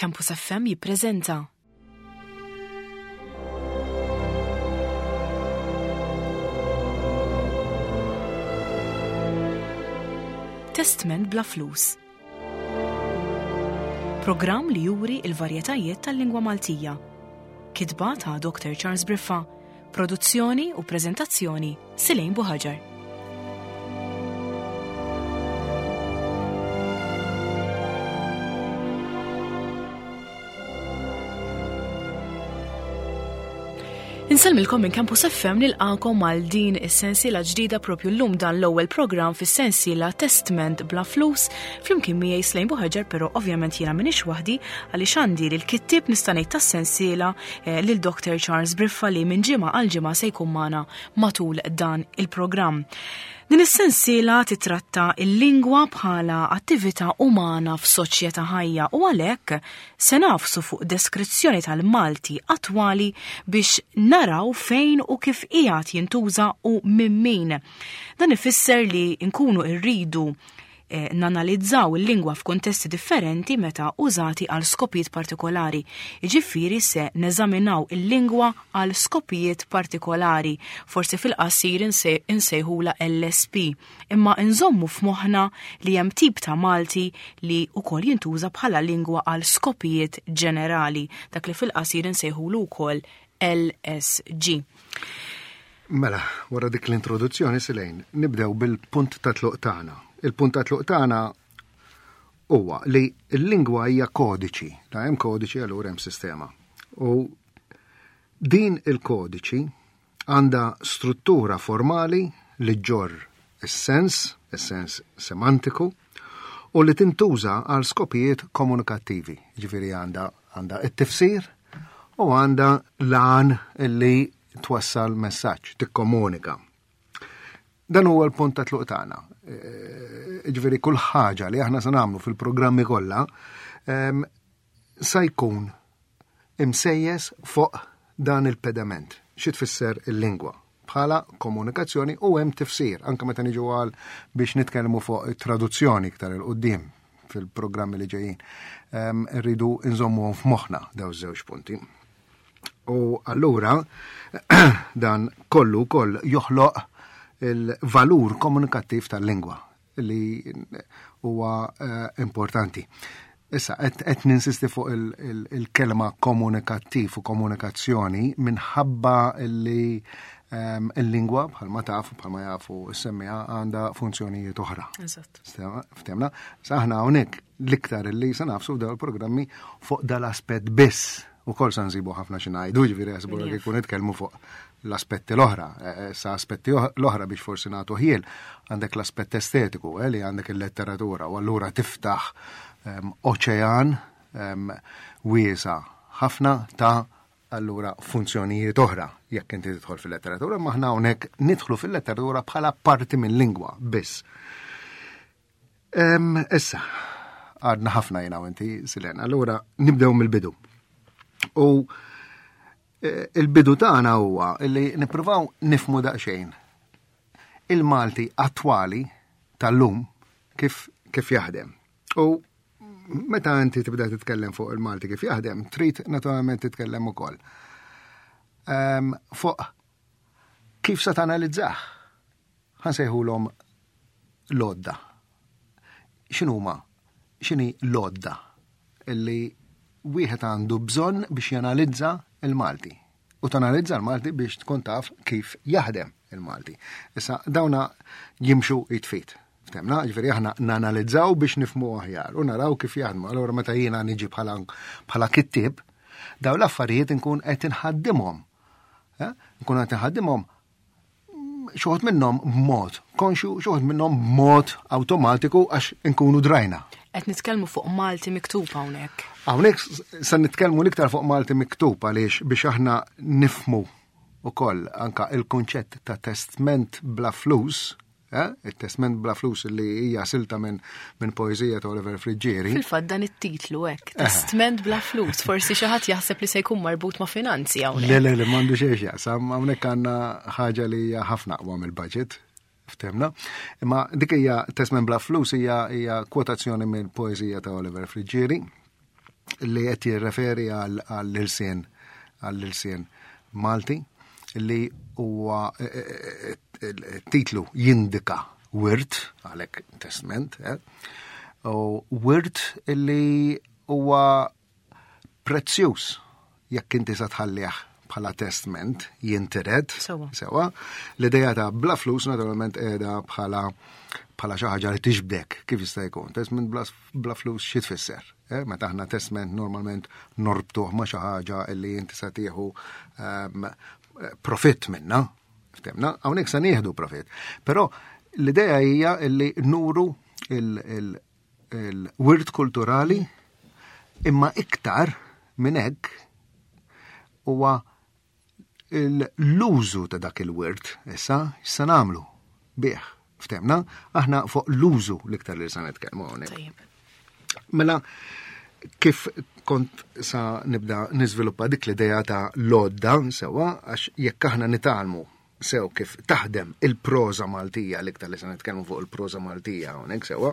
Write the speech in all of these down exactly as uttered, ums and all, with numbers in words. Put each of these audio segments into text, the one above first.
Campus F M jippreżenta Testment bla flus. Programm li juri il-varjetajiet tal-lingwa Maltija. Kitba ta' Doktor Charles Briffa, produzzjoni u preżentazzjoni Silejn Buħaġar. Insellmilkom minn Campus F M nilqakom għal din is-sensiela ġdida propju llum dan l-ewwel programm fis-sensiela Testment bla flus flimkien miegħi Slejn Buħaġar, però ovvjament jiena m'iniex waħdi għaliex għandi lil kittieb nista' ngħid tas-sensiela, eh, lil Doktor Charles Briffa li minn ġimgħa għal ġimgħa se jkun magħna matul dan il-programm. Din is-sensiela titratta il-lingwa bħala attività umana f'soċjetà ħajja u għalhekk se nafsu fuq deskrizzjoni tal-Malti attwali biex naraw fejn u kif qiegħed jintuża u minn min. Dan ifisser li nkunu rridu, eh, nanalizzaw il-lingwa f'kuntesti differenti meta użati għal skopijiet partikolari. Jiġifieri se neżaminaw il-lingwa għal skopijiet partikolari, forsi fil-qasir inse-, insejħula L S P, imma nżommu f'moħħna li hemm tip ta' Malti li wkoll jintuża bħala lingwa għal skopijiet ġenerali, dak li fil-qasir insejħulu wkoll L S G. Mela, wara dik l-introduzzjoni, Silejn, nibdew bil-punt ta' tluq tagħna. Il-punt ta' tluq tagħna huwa li l-lingwa hija kodiċi. La hemm kodiċi allura hemm sistema. U din il-kodiċi għandha struttura formali li ġġorr is-sens, is-sens semantiku, u li tintuża għal skopijiet komunikattivi. Ġifieri għandha, għandha t-tifsir u għandha l-għan li twassal messaġġ, tikkomunika. Dan huwa l-punt ta' tluq tagħna. Eh, ġifieri kull ħaġa li aħna se nagħmlu fil-programmi kollha, ehm, sa jkun imsejjes fuq dan il-pedament. Xi tfisser il-lingwa? Bħala komunikazzjoni u hemm tifsir, anke meta niġu għal biex nitkellmu fuq traduzzjoni iktar il quddiem fil-programmi li ġejjin. Ehm, irridu nżommuhom f'moħħna daw iż-żewġ punti. U allura dan kollu wkoll joħloq il-valur komunikattiv tal-lingwa li huwa, eh, importanti. Issa, qed, qed ninsisti fuq il-, il-, il-kelma komunikattiv u komunikazzjoni minħabba li, ehm, il-lingwa bħalma taf, bħalma jafu s-semmija, għandha funzjonijiet oħra. Eżatt. Stema, ftemna? Sa aħna hawnhekk l-iktar li se nafsu f'dawn il-programmi fuq dal-aspett biss. U kol sa nsibu ħafna xi ngħidu, ġifieri jaħsbu li Jaf. jkun nitkellmu fuq l-aspetti l-oħra, eh, eh, sa aspetti oħ-, l-oħra biex forsi nagħtu ħiel, għandek l-aspett estetiku, eh, li għandek il-letteratura, u allura tiftaħ, ehm, oċean, ehm, wiesa ħafna ta' allura funzjonijiet oħra jekk inti tidħol fil-letteratura, ma aħna hawnhekk nidħlu fil-letteratura bħala parti mill-lingwa biss. Ehm, issa, għadna ħafna jiena u inti, Silen, allura nibdew mill-bidu. U, eh, il-bidu tagħna huwa li nippruvaw nifmu daqsxejn il-Malti attwali tal-lum kif, kif jaħdem. U meta inti tibda titkellem fuq il-Malti kif jaħdem, trid naturalment titkellem ukoll. Ehm, fuq kif se tanalizzah. Ħansejħulhom l-għodda. X'inhuma? X'inhi l-għodda illi wieħed għandu bżonn biex janalizza il-Malti. U tanalizza l-Malti biex tkun taf kif jaħdem il-Malti. Issa dawna jimxu jitfit. Ftemna, ġifieri aħna nanalizzaw biex nifhmu aħjar u naraw kif jaħdmu. Allura meta jiena niġi bħala, bħala kittieb, daw l-affarijiet inkun qed inħaddimhom. Eh? Nkun qed inħaddimhom xi wħud minnhom b'mod konxju, xi wħud minnhom b'mod awtomatiku għax inkunu drajna. Qed nitkellmu fuq Malti miktub hawnhekk. Hawnhekk s-, se nitkellmu l-iktar fuq Malti miktub għaliex biex aħna nifhmu ukoll anka il-kunċett ta' testment bla flus, eh? Il-testment bla flus li hija silta minn, minn poeżija ta' Oliver Friggieri. Fil-fatt dan it-titlu hekk, Eh. testment bla flus, forsi xi ħadd jaħseb li se jkun marbut ma' finanzi hawnhekk. Le, le, le, m'għandu xejn x'jaqsam, hawnhekk għandna ħaġa li hija ħafna aqwa mill-budget. Ftemna. Imma dik hija testment bla flus hija, hija kwotazzjoni mill-poeżija ta' Oliver Friggieri Li qed jirreferi għall-ilsien għall-ilsien Malti, li huwa titlu jindika wirt, għalhekk testment, eh? U wirt li huwa prezzjuż jekk inti sa tħallih bħala testment jintiret. Sewa. Sewa. L-ideja ta' bla flus naturalment qiegħda bħala bħala xi ħaġa li tixbdek kif jista' jkun. Testment bla, bla flus xi tfisser? Eh? Meta aħna testment normalment norbtuh ma' xi ħaġa li inti sa tieħu um, profitt minna. Ftemna, hawnhekk sa nieħdu profitt. Però l-idea hija li nuru il-wirt kulturali, imma iktar minn hekk huwa l-użu ta' dak il-wirt. Issa, x'sa nagħmlu bih? Ftemna, aħna fuq l-użu l-iktar li sa nitkellmu hawnhekk. Tajjeb. Mela, kif kont sa nibda niżviluppa dik l-idea ta' l-għodda, sewa, għax jekk aħna nitgħallmu sew kif taħdem il-proża Maltija, l-iktar li sa nitkellmu fuq il-proża Maltija hawnhekk, sewa,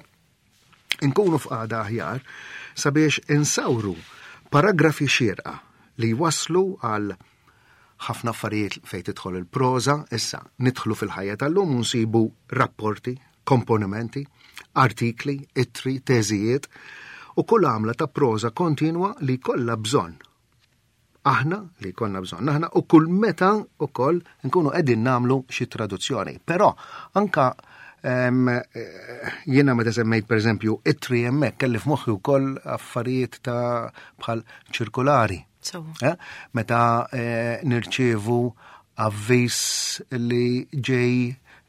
inkunu f'qagħda aħjar sabiex insawru paragrafi xierqa li waslu għal ħafna affarijiet fejn tidħol il-proża. Issa nidħlu fil-ħajja tal-lum u nsibu rapporti, komponimenti, artikli, ittri, teżijiet u kull għamla ta' proża kontinwa li kollha bżonn. Aħna li konna bżonn, aħna u kull meta ukoll nkunu qegħdin nagħmlu xi traduzzjoni. Però anka em, eh, jiena meta semmejt pereżempju ittri hemmhekk kelli f'moħħi wkoll affarijiet ta' bħal ċirkulari. Sewa. Eh? Meta eh, nirċievu avviż li ġej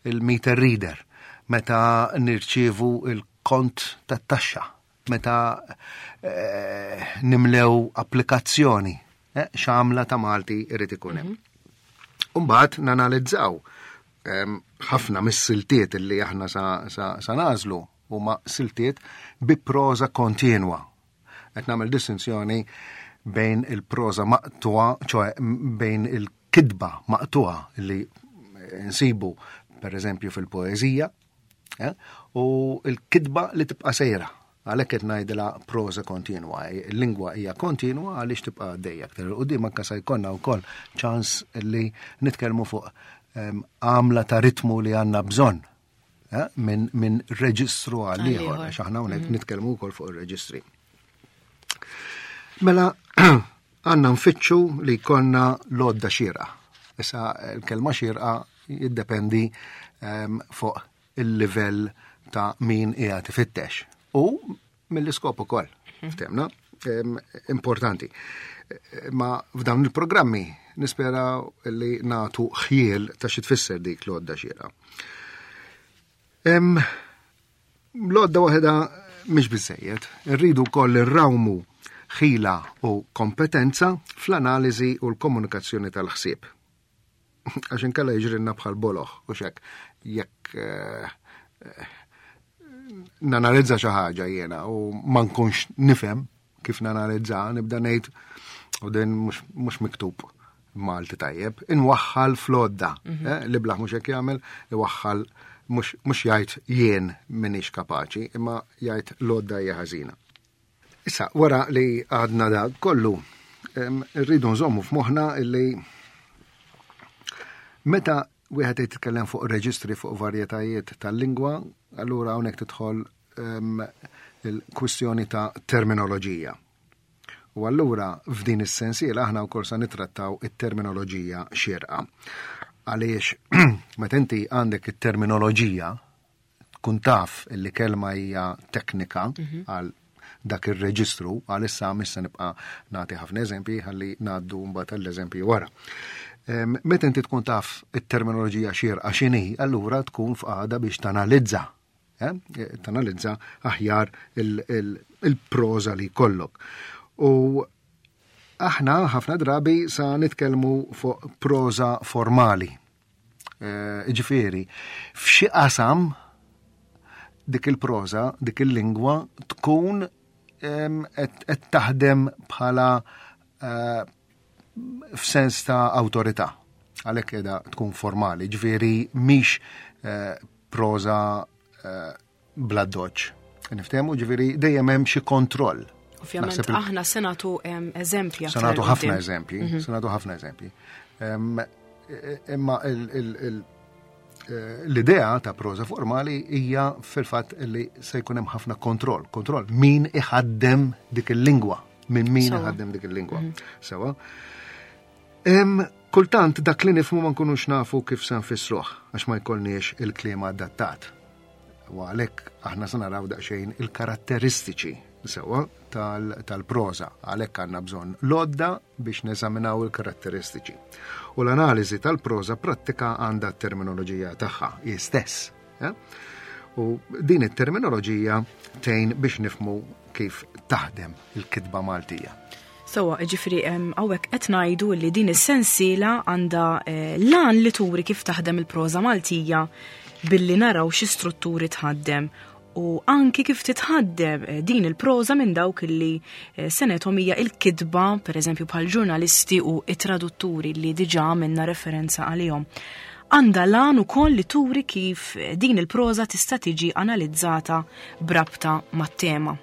il-meter reader, meta nirċievu il-kont tat-taxxa, meta eh, nimlew applikazzjoni, eh, x'għamla ta' Malti irid ikun hemm. Umbagħad nanalizzaw em, ħafna mis-siltiet li aħna sa, sa, sa nagħżlu huma siltiet bi proża kontinwa. Qed nagħmel distinzjoni bejn il-proża maqtuha, ċoè bejn il-kidba maqtuha li nsibu per eżempju fil-poeżija, eh, u il-kidba li tibqa' sejra. Għalhekk qed ngħidilha proża kontinwa. Il-lingwa hija kontinwa għaliex tibqa' għaddejja. Aktar 'il quddiem anke se jkollna wkoll ċans li nitkellmu fuq em, għamla ta' ritmu li għandna bżonn eh, minn min reġistru għal ieħor, Għal ieħor. għax aħna hawnhekk nitkellmu wkoll fuq ir-reġistri. Mela, għandna nfittxu li jkollna l-għodda xierqa. Issa, il-kelma xierqa jiddependi em, fuq il-livell ta' min qiegħed ifittex. U mill-iskop ukoll, ftemna, em, importanti. Ma f'dawn il-programmi nispera li nagħtu ħjiel ta' xi tfisser dik l-għodda xierqa. Em, L-għodda waħedha mhix biżejjed, irridu wkoll irrawmu ħila u kompetenza fl-analiżi u l-komunikazzjoni tal-ħsieb. Għax inkella jiġrilna bħal boloh, u xek, jekk eh, eh, nanalizza xi ħaġa jiena u ma nkunx nifhem kif nanalizza, nibda ngħid u din mhux mhux miktub Malti tajjeb, inwaħħal fl-għodda. eh, L-iblah mhux hekk jagħmel, iwaħħal mhux mhux jgħid jien m'iniex kapaċi, imma jgħid l-għodda hija ħażina. Issa, wara li għadna da kollu, em, rridu nżommu f'moħħna illi meta wieħed jitkellem fuq reġistri, fuq varjetajiet tal-lingwa, allura hawnhekk tidħol em, il-kwistjoni ta' terminoloġija. U allura f'din is-sensiela aħna wkoll sa nitrattaw it-terminoloġija xierqa. Għaliex meta inti għandek it-terminoloġija, tkun taf illi kelma hija teknika għal dak ir-reġistru, għalissa missa nibqa' nagħti ħafna eżempji ħalli ngħaddu mbagħad għall-eżempji wara. Em, Meta inti tkun taf it-terminoloġija xierqa x'inhi, allura tkun f'qagħda biex tanalizza eh? Tanalizza aħjar il-proża li jkollok. U aħna ħafna drabi sa nitkellmu fuq proża formali. Eh, Ġifieri, f'xi qasam dik il-proża, dik il-lingwa tkun em, qed qed taħdem bħala eh, f'sens ta' awtorità. Għalhekk qiegħda tkun formali, ġifieri mhix eh, proża eh, bla doċ. Niftehmu, ġifieri dejjem hemm xi kontroll. Ovvjament aħna se nagħtu eżempji. Se nagħtu ħafna eżempji, se nagħtu ħafna eżempji. Imma l-idea ta' proża formali hija fil-fatt li se jkun hemm ħafna kontroll, kontroll min iħaddem dik il-lingwa, minn min iħaddem dik il-lingwa. Sewa. Kultant dak li nifhmu ma nkunux nafu kif se nfissruh għax ma jkollniex il-kliem adattat. U għalhekk aħna se naraw daqsxejn il-karatteristiċi sewa tal-proża, għalhekk għandna bżonn l-għodda biex neżaminaw il-karatteristiċi. U l-analiżi tal-proża prattika għandha t-terminoloġija tagħha hi stess. U din it-terminoloġija tgħin biex nifhmu kif taħdem il-kitba Maltija. Sewa, ġifieri hawnhekk qed ngħidu li din is-sensiela għandha l-għan li turi kif taħdem il-proża Maltija billi naraw xi strutturi tħaddem u anki kif titħaddem din il-proża minn dawk li senethom hija il-kitba, pereżempju bħal ġurnalisti u it-tradutturi li diġà għamilna referenza għalihom. Għandha l-għan ukoll li turi kif din il-proża tista' tiġi analizzata b'rabta mat-tema.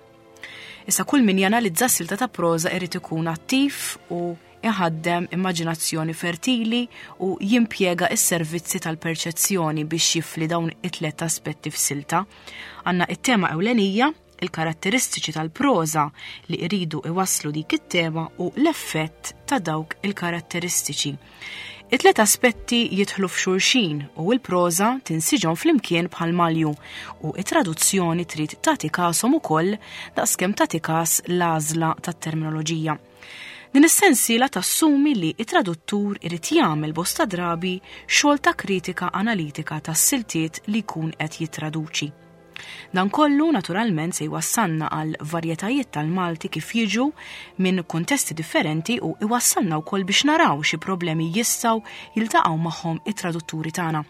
Issa kull min janalizza silta ta' proża irid ikun attiv u iħaddem immaġinazzjoni fertili u jimpjega s-servizzi tal-perċezzjoni biex jifli dawn it-tlet aspetti f'silta. Għandna it-tema ewlenija, il-karatteristiċi tal-proża li iridu iwasslu dik it-tema u l-effett ta' dawk il-karatteristiċi. It-tlet aspetti jidħlu f'xulxin u l-proża tinsiġhom flimkien bħal malju u it-traduzzjoni trid tagħti kashom ukoll daqskemm tagħti kas l-għażla tat-terminoloġija. Din is-sensiela tassumi li it-traduttur irid jagħmel bosta drabi xogħol ta' kritika analitika tas-siltiet li jkun qed jittraduċi. Dan kollu naturalment se jwassalna għal varjetajiet tal-Malti kif jiġu minn kuntesti differenti u iwassalna wkoll biex naraw xi problemi jistgħu jiltaqgħu magħhom it-tradutturi tagħna.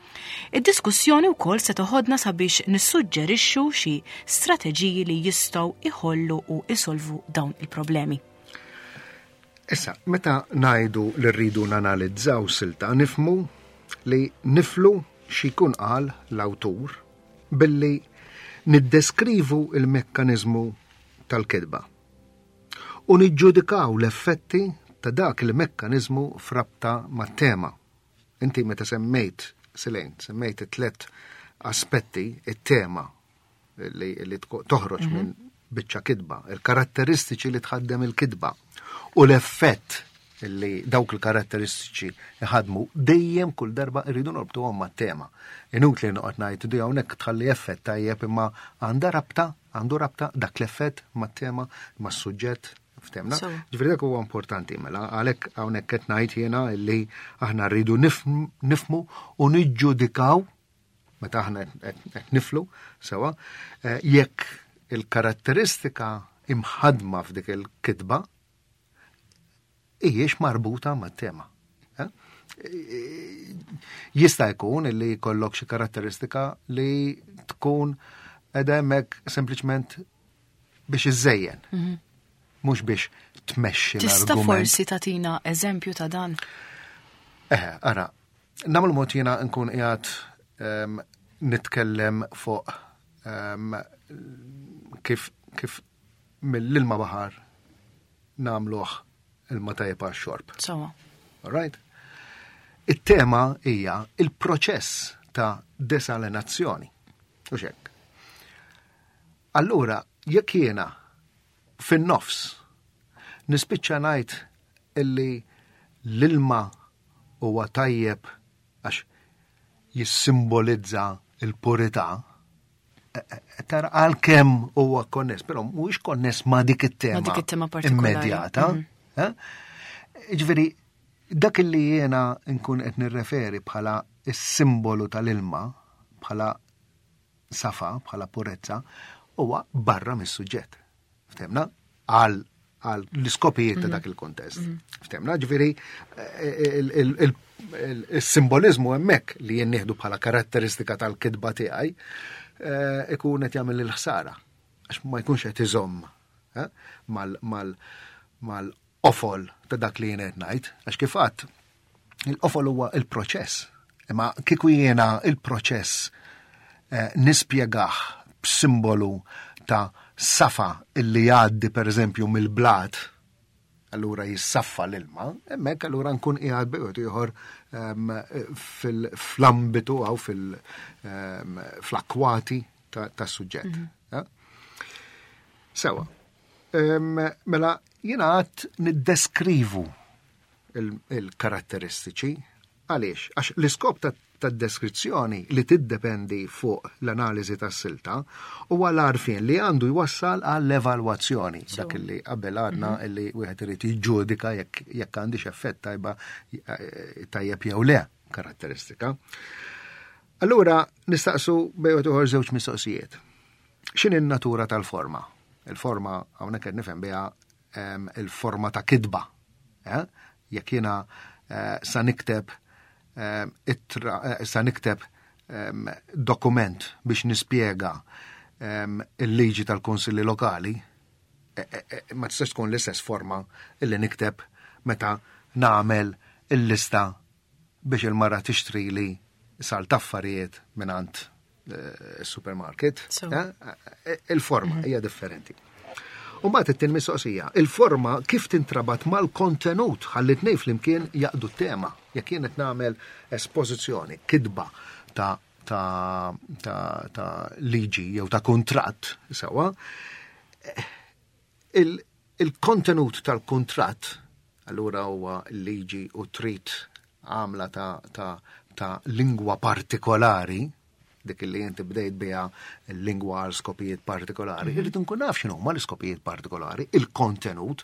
Id-diskussjoni wkoll se toħodna sabiex nissuġġerixxu xi strateġiji li jistgħu iħollu u isolvu dawn il-problemi. Issa, meta ngħidu li rridu nanalizzaw silta, nifhmu li niflu xi jkun qal l-awtur billi niddeskrivu il-mekkaniżmu tal-kitba u niġġudikaw l-effetti ta' dak il-mekkaniżmu f'rabta mat-tema. Inti meta semmejt, Silejn, semmejt it-tlet aspetti, it-tema li, li toħroġ mm-hmm. minn biċċa kitba, il-karatteristiċi li tħaddem il-kitba u l-effett li dawk il-karatteristiċi jħadmu dejjem kull darba irridu norbtuhom mat-tema. Inutli noqgħod ngħid di hawnhekk tħalli effett tajjeb imma għandha rabta, għandu rabta dak l-effett mat-tema, mas-suġġett, ftemna. Ġifieri dak huwa importanti mela għalhekk hawnhekk qed ngħid jiena li aħna rridu nifhmu u niġġudikaw meta aħna qed niflu sewa jekk il-karatteristika imħadma f'dik il-kitba hijiex marbuta mat-tema. Jista' jkun li jkollok xi karatteristika li tkun qiegħda hemmhekk sempliċement biex iżżejjen. Mhux biex tmexxi l-argument. Tista' forsi tagħtina eżempju ta' dan? Eh, ara, nagħmlu mod jiena nkun qiegħed nitkellem fuq kif kif mill-ilma baħar nagħmluh ilma tajjeb għax-xorb. Sawa. All right? It-tema hija il-proċess ta' desalinazzjoni. U xek. Allura, jekk jiena fin-nofs nispiċċa ngħid illi l-ilma huwa tajjeb għax jissimbolizza il-purità, tara għalkemm huwa konness, però mhuwiex konness ma' dik it-tema immedjata. Ġifieri, dak li jiena nkun qed nirreferi bħala s-simbolu tal-ilma, bħala safa, bħala purezza, huwa barra mis-suġġett. Ftemna? Għal l-iskopijiet ta' dak il-kontest. Ftemna? Ġifieri, il-simbolizmu hemmhekk li jien nieħdu bħala karatteristika tal-kitba tiegħi ikun qed jagħmel il-ħsara għax ma jkunx qed iżomm mal-qofol ta' dak li jien qed ngħid, għax kif għadt il-qofol huwa il-proċess. Imma kieku jiena il-proċess nispjegah b'simbolu ta' Safa illi jgħaddi per eżempju mill-blat, allura jissaffa l-ilma, hemmhekk allura nkun qiegħed bejn ieħor fl-ambitu għaw fl-akkwati tas-suġġett. Sewa. Mela jiena għad niddeskrivu il-karatteristiċi. Għaliex? Għax l-iskop tad-deskrizzjoni li tiddependi fuq l-analiżi tas-silta huwa l-għarfien li għandu jwassal għall-evalwazzjoni. Dak li qabel għadna li wieħed irid jiġġudika jekk għandix effett tajba tajjeb jew le karatteristika. Allura nistaqsu bejn ieħor żewġ mistoqsijiet. X'inhi n-natura tal-forma? Il-forma hawnhekk qed nifhem biha il-forma ta' kitba. Jekk jiena sa nikteb sa nikteb dokument biex nispjega il-liġi tal-kunsilli lokali, ma tistax tkun l-istess forma illi nikteb meta nagħmel il-lista biex il-mara tixtrili sal taffarijiet mingħand il-supermarket. Il-forma hija differenti. U mbagħad it-tieni mistoqsija, il-forma kif tintrabat mal-kontenut ħalli tnejn flimkien jaqdu t-tema. Jekk jien qed nagħmel espożizzjoni, kitba ta' ta' ta' ta' liġi jew ta' kuntratt sewwa, il-kontenut tal-kuntratt allura huwa liġi u trid għamla ta' ta' ta' lingwa partikolari, dik li inti bdejt biha l-lingwa għal skopijiet partikolari, irrid nkun naf x'inhu huma l-iskopijiet partikolari, il-kontenut,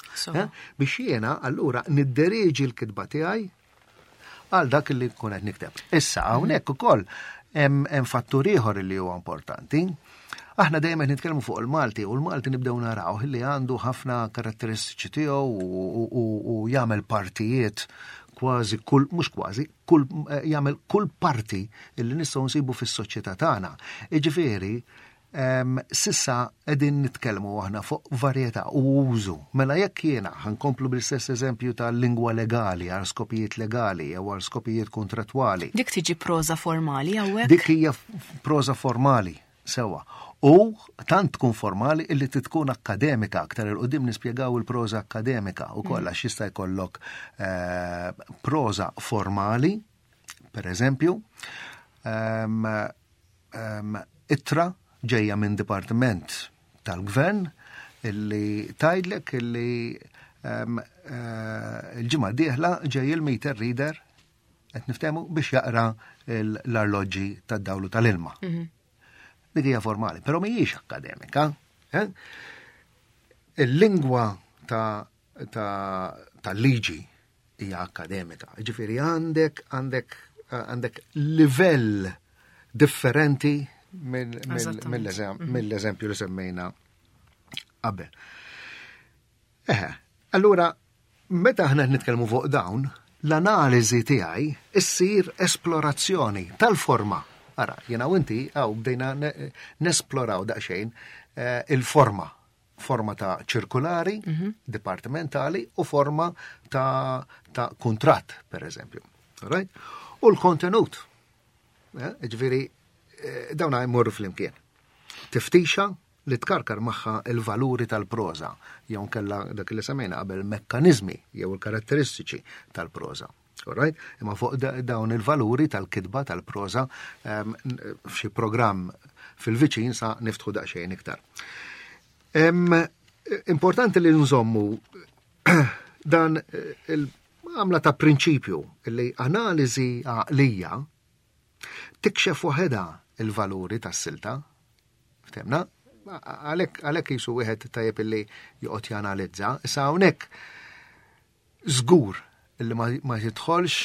biex jiena allura nidderieġi l-kitba tiegħi għal dak li nkun qed nikteb. Issa hawnhekk ukoll hemm fattur ieħor li huwa importanti. Aħna dejjem qed nitkellmu fuq il-Malti u l-Malti nibdew naraw li għandu ħafna karatteristiċi tiegħu u jagħmel partijiet kważi kull, mhux kważi, kull jagħmel kull parti illi nistgħu nsibu fis-soċjetà tagħna. Jiġifieri, sissa qegħdin nitkellmu aħna fuq varjetà u użu. Mela jekk jiena ħankomplu bl-istess eżempju tal-lingwa legali għal skopijiet legali jew għal skopijiet kontrattwali. Dik tiġi proża formali hawnhekk? Dik hija proża formali, sewa. U tant tkun formali illi tkun akkademika, aktar il qudiem nispjegaw il-proża akkademika u kollha għax jista' jkollok proża formali, per eżempju, ittra ġejja minn dipartiment tal-gvern illi tgħidlek illi il-ġimgħa d-dieħla ġej il-meter reader qed niftehmu biex jaqra l-arloġġi tad-dawlu tal-ilma. Dik hija formali, però mhijiex akkademika. Il-lingwa ta' liġi hija akkademika. Ġifieri għandek għandek għandek livell differenti mill-eżempju li semmejna qabel. Eħe, allura meta aħna nitkellmu fuq dawn, l-analiżi tiegħi issir esplorazzjoni tal-forma. Ara, jiena u inti għaw bdejna nesploraw daqsxejn il-forma. Forma ta' ċirkulari, dipartimentali u forma ta' kuntratt, per eżempju. Right? U l-kontenut. Ġifieri, dawna jmorru flimkien. Tiftixa li tkarkar magħha il-valuri tal-proża, jew kella dak li semmejna qabel mekkaniżmi jew il-karatteristiċi tal-proża. All right? Imma fuq dawn il-valuri tal-kitba tal-proża f'xi programm fil-viċin sa niftħu daqsxejn iktar. Importanti li nżommu dan il-għamla ta' prinċipju li analiżi għaqlija tikxef waħedha il-valuri tas-silta. Ftemna? Għalhekk jisu wieħed tajjeb illi joqgħod janalizza. Issa hawnhekk żgur illi ma jidħolx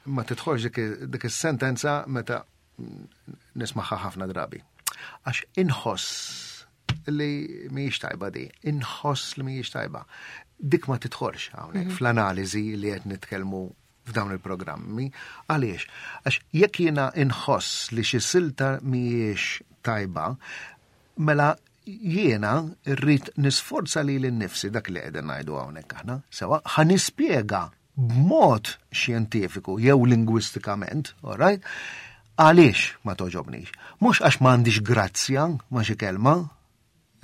ma tidħolx dik is-sentenza meta nismaħħa ħafna drabi. Għax inħoss li mhijiex tajba di, inħoss li mhijiex tajba. Dik ma tidħolx hawnhekk fl-analiżi li qed nitkellmu f'dawn il-programmi. Għaliex? Għax jekk jiena inħoss li xi silta mhijiex tajba, mela jiena rrid nisforza lili nnifsi dak li qegħdin ngħidu hawnhekk aħna, sewa ħa nispjega b'mod xjentifiku jew lingwistikament, all right? Għaliex ma toġobnix? Mhux għax m'għandix grazzja ma' xi kelma,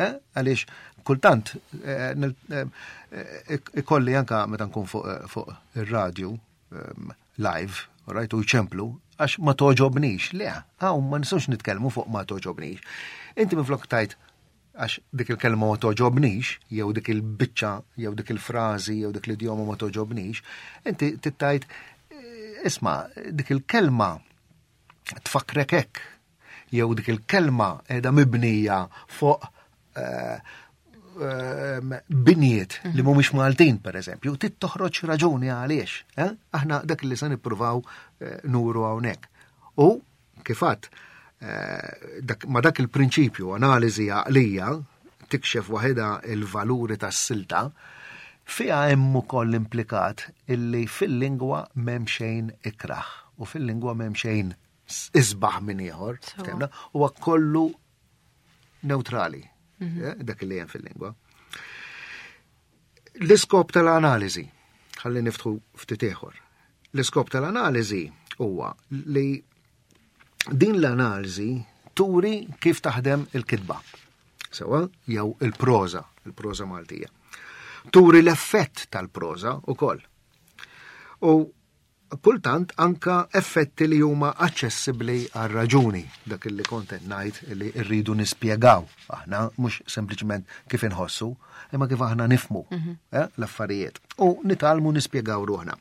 eh? Għaliex kultant eh, eh, ikolli anka meta nkun fuq fuq ir-radju ehm, live, right, u jċemplu, għax ma toġobnix. Le, hawn ma nistgħux nitkellmu fuq ma toġobnix. Inti minflok tgħid għax dik il-kelma ma toġobnix, jew dik il-biċċa, jew dik il-frażi, jew dik l-idjoma ma toġobnix, inti tgħid isma' dik il-kelma tfakkrek hekk, jew dik il-kelma qiegħda mibnija fuq eh, eh, binjiet li mhumiex Maltin, per eżempju, trid toħroġ raġuni għaliex. Eh? Aħna dak li se nippruvaw nuru hawnhekk. U kif għedt, ma dak il-prinċipju analiżi għaqlija tikxef waħedha il-valuri tas-silta, fiha hemm ukoll implikat illi fil-lingwa m'hemm xejn ikrah u fil-lingwa m'hemm xejn isbaħ minn ieħor, ftemna, huwa kollu neutrali, eh, dak li hemm fil-lingwa. L-iskop tal-analiżi, ħalli niftħu ftit ieħor. L-iskop tal-analiżi huwa li din l-analiżi turi kif taħdem il-kitba. Sewa, jew il-proża, il-proża Maltija. Turi l-effett tal-proża ukoll. U kultant anka effetti li huma aċċessibbli għal raġuni, dak li kont qed ngħid li rridu nispjegaw aħna mhux sempliċement kif inħossu, imma kif aħna nifhmu eh, l-affarijiet u nitgħallmu nispjegaw ruħna.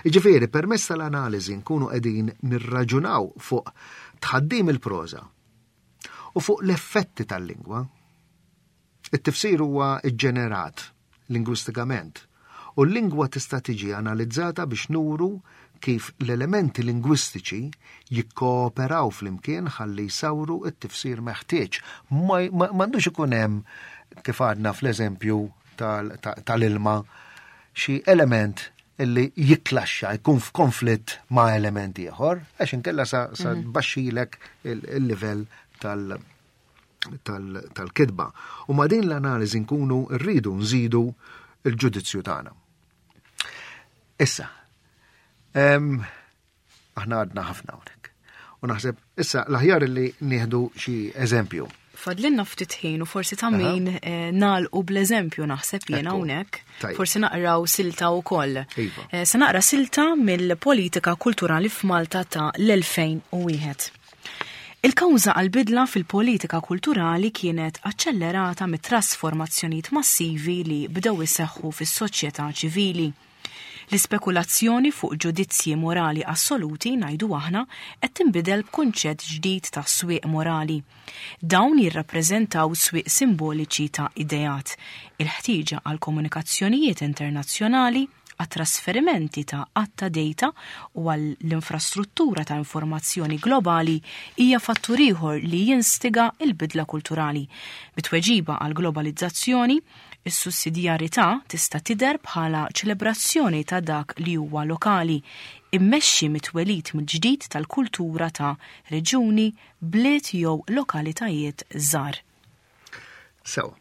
Jiġifieri permezz tal-analiżi nkunu qegħdin nirraġunaw fuq tħaddim il-proża u fuq l-effetti tal-lingwa. It-tifsir huwa ġġenerat lingwistikament u l-lingwa tista' tiġi analizzata biex nuru kif l-elementi lingwistiċi jikkooperaw flimkien ħalli jsawru t-tifsir meħtieġ. M'għandux ikun hemm, kif għadna fl-eżempju tal-ilma, xi element illi jiklaxxa, jkun f'konflitt ma' element ieħor, għax inkella sa, sa mhm. tbaxxilek il-livell tal- tal-kitba. U ma' din l-analiżi nkunu rridu nżidu il-ġudizzju tagħna. Issa, aħna għadna ħafna hawnhekk. U naħseb, issa l-aħjar li nieħdu xi eżempju. Fadlinna ftit ħin u forsi ta' min eh, nagħlqu bl-eżempju naħseb jiena hawnhekk. Forsi naqraw silta wkoll. Iva. Eh, se naqra silta mill-politika kulturali f'Malta ta' l-elfejn u wieħed. Il-kawża għal-bidla fil-politika kulturali kienet aċċellerata mit-trasformazzjonijiet massivi li bdew iseħħu fis-soċjetà ċivili. L-ispekulazzjoni fuq ġudizzji morali assoluti, ngħidu aħna, qed tinbidel b'kunċett ġdid ta' swieq morali. Dawn jirrappreżentaw swieq simboliċi ta' ideat, il-ħtieġa għal komunikazzjonijiet internazzjonali, għat-trasferimenti ta' għadd ta' data u għall-infrastruttura ta' informazzjoni globali hija fattur ieħor li jinstiga il-bidla kulturali. Bi tweġiba għal globalizzazzjoni, is-sussidjarità tista' tidher bħala ċelebrazzjoni ta' dak li huwa lokali, immexxi mit-twelid mill-ġdid tal-kultura ta' reġuni, bliet jew lokalitajiet żgħar. Sew,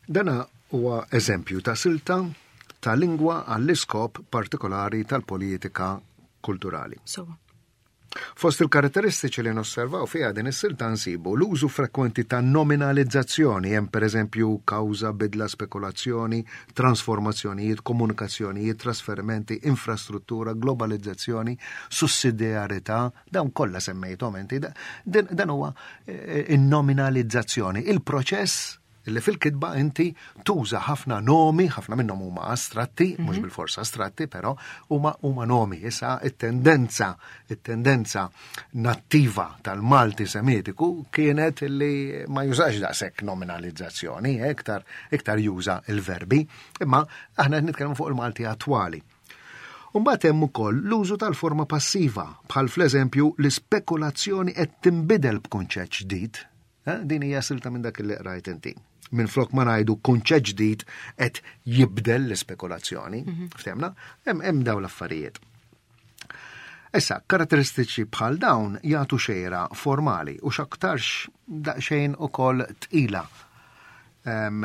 dana huwa eżempju ta' silta ta' lingwa għall-iskop partikolari tal-politika kulturali. So. Fost il-karatteristiċi li nosservaw fiha din is-silta nsibu l-użu frekwenti ta' nominalizzazzjoni, hemm pereżempju kawża, bidla, spekulazzjoni, trasformazzjonijiet, komunikazzjonijiet, trasferimenti, infrastruttura, globalizzazzjoni, sussidjarità, dawn kollha semmejthom inti. Dan huwa eh, in-nominalizzazzjoni, il-proċess li fil-kitba inti tuża ħafna nomi, ħafna minnhom huma astratti, mhux mhm. bil-forsa astratti, però huma huma nomi. Issa it-tendenza, it-tendenza nattiva tal-Malti Semitiku kienet li ma jużax daqshekk nominalizzazzjoni, eh, iktar iktar juża il-verbi, imma aħna nitkellmu fuq il-Malti attwali. Umbagħad hemm ukoll l-użu tal-forma passiva, bħal fl-eżempju l-ispekulazzjoni qed tinbidel b'kunċett ġdid. Eh, din hija silta minn dak li qrajt inti. Minn flok ma ngħidu kunċett ġdid qed jibdel l-ispekulazzjoni, mhm. ftemna, hemm hemm dawn l-affarijiet. Issa, karatteristiċi bħal dawn jagħtu xejra formali u x'aktarx daqsxejn ukoll tqila eh,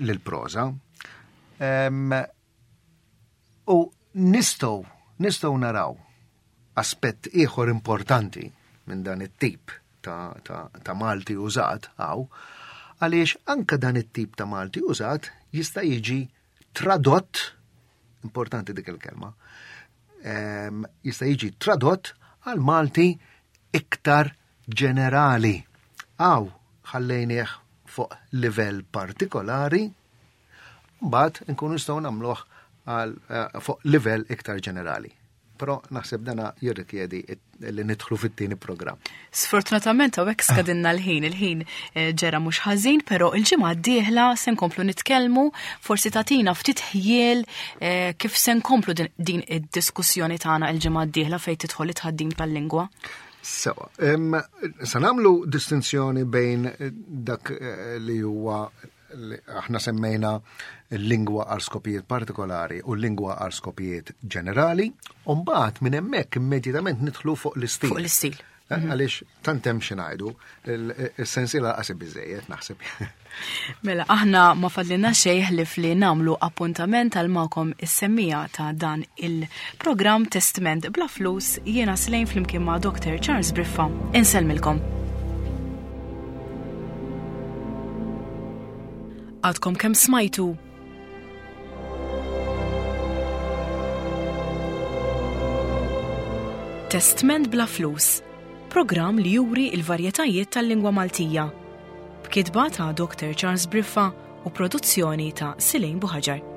lill-proża. U nistgħu nistgħu naraw Aspett ieħor importanti minn dan it-tip ta', ta, ta' Malti użat hawn, għaliex anka dan it-tip ta' Malti użat jista' jiġi tradott, importanti dik il-kelma, em, jista' jiġi tradott għal Malti iktar ġenerali. Hawn ħallejnieh fuq livell partikolari, mbagħad nkunu nistgħu nagħmluh għal eh, fuq livell iktar ġenerali. Però naħseb dana jirrikjedi li nidħlu fit-tieni programm. Sfortunatament hawnhekk skadinna l-ħin, il-ħin eh, ġera mhux ħażin, però il-ġimgħa d-dieħla se nkomplu nitkellmu, forsi tagħtina ftit ħjiel eh, kif se nkomplu din, din id-diskussjoni tagħna il-ġimgħa d-dieħla fejn tidħol it-tħaddim tal-lingwa. Sewa, em, sa nagħmlu distinzjoni bejn dak eh, li huwa li aħna semmejna l-lingwa għal skopijiet partikolari u l-lingwa għal skopijiet ġenerali, u mbagħad minn hemmhekk immedjatament nidħlu fuq l-istil. Fuq l-istil. Eh, Għaliex tant hemm xi ngħidu, is-sensiela qasib biżejjed naħseb. Mela, aħna ma fadlilna xejn ħlief li nagħmlu appuntament għal magħkom is-semmiegħa ta' dan il-programm Testment Bla Flus, jiena Slejn flimkien ma' Doctor Charles Briffa. Insellmilkom. Għadkom kemm smajtu Testment Bla Flus, programm li juri il-varjetajiet tal-lingwa Maltija. B'kitba ta' Doctor Charles Briffa u produzzjoni ta' Silejn Buħaġar.